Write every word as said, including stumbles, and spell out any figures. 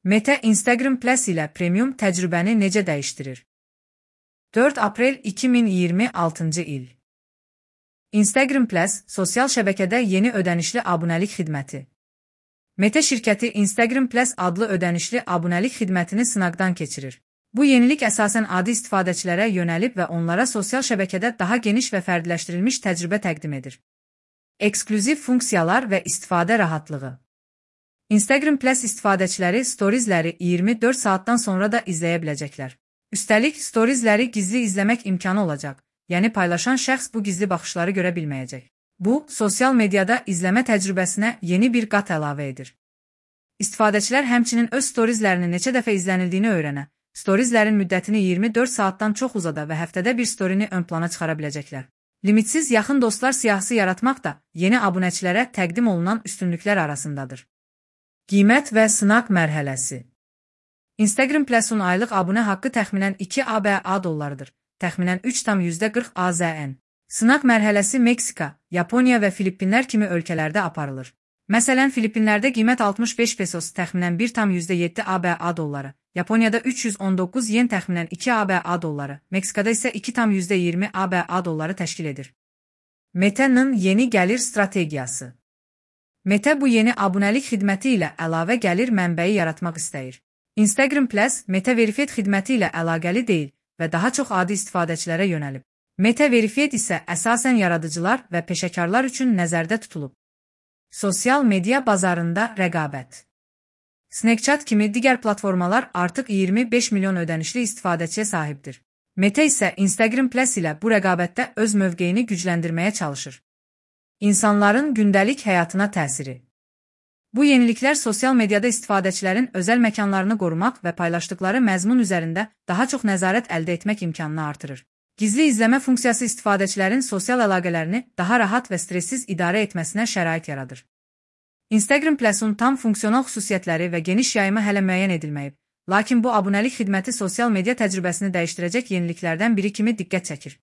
Meta Instagram Plus ilə premium təcrübəni necə dəyişdirir? dörd aprel iki min iyirmi altıncı il. Instagram Plus, sosial şəbəkədə yeni ödənişli abunəlik xidməti. Meta şirkəti Instagram Plus adlı ödənişli abunəlik xidmətini sınaqdan keçirir. Bu yenilik əsasən adi istifadəçilərə yönəlib və onlara sosial şəbəkədə daha geniş və fərdiləşdirilmiş təcrübə təqdim edir. Eksklüziv funksiyalar və istifadə rahatlığı. Instagram Plus istifadəçiləri storiesləri iyirmi dörd saatdan sonra da izləyə biləcəklər. Üstəlik, storiesləri gizli izləmək imkanı olacaq, yəni paylaşan şəxs bu gizli baxışları görə bilməyəcək. Bu, sosial mediada izləmə təcrübəsinə yeni bir qat əlavə edir. İstifadəçilər həmçinin öz storieslərini neçə dəfə izlənildiyini öyrənə, storieslərin müddətini iyirmi dörd saatdan çox uzada və həftədə bir storini ön plana çıxara biləcəklər. Limitsiz yaxın dostlar siyahısı yaratmaq da yeni abunəçilərə təqdim olunan üstünlüklər arasındadır. Qiymət və sınaq mərhələsi. Instagram Plus-un aylıq abunə haqqı təxminən iki ABA dollarıdır, təxminən üç tam yüzdə qırx AZN. Sınaq mərhələsi Meksika, Yaponiya və Filippinlər kimi ölkələrdə aparılır. Məsələn, Filippinlərdə qiymət altmış beş pesos təxminən bir tam yüzdə yeddi ABA dolları, Yaponiyada üç yüz on doqquz yen təxminən iki ABA dolları, Meksikada isə iki tam yüzdə iyirmi ABA dolları təşkil edir. Meta'nın yeni gəlir strategiyası. Meta bu yeni abunəlik xidməti ilə əlavə gəlir mənbəyi yaratmaq istəyir. Instagram Plus, Meta Verified xidməti ilə əlaqəli deyil və daha çox adi istifadəçilərə yönəlib. Meta Verified isə əsasən yaradıcılar və peşəkarlar üçün nəzərdə tutulub. Sosial media bazarında rəqabət. Snapchat kimi digər platformalar artıq iyirmi beş milyon ödənişli istifadəçiyə sahibdir. Meta isə Instagram Plus ilə bu rəqabətdə öz mövqeyini gücləndirməyə çalışır. İnsanların gündəlik həyatına təsiri. Bu yeniliklər sosial mediada istifadəçilərin özəl məkanlarını qorumaq və paylaşdıqları məzmun üzərində daha çox nəzarət əldə etmək imkanını artırır. Gizli izləmə funksiyası istifadəçilərin sosial əlaqələrini daha rahat və stressiz idarə etməsinə şərait yaradır. Instagram Plus-un tam funksional xüsusiyyətləri və geniş yayımı hələ müəyyən edilməyib, lakin bu abunəlik xidməti sosial media təcrübəsini dəyişdirəcək yeniliklərdən biri kimi diqqət çəkir.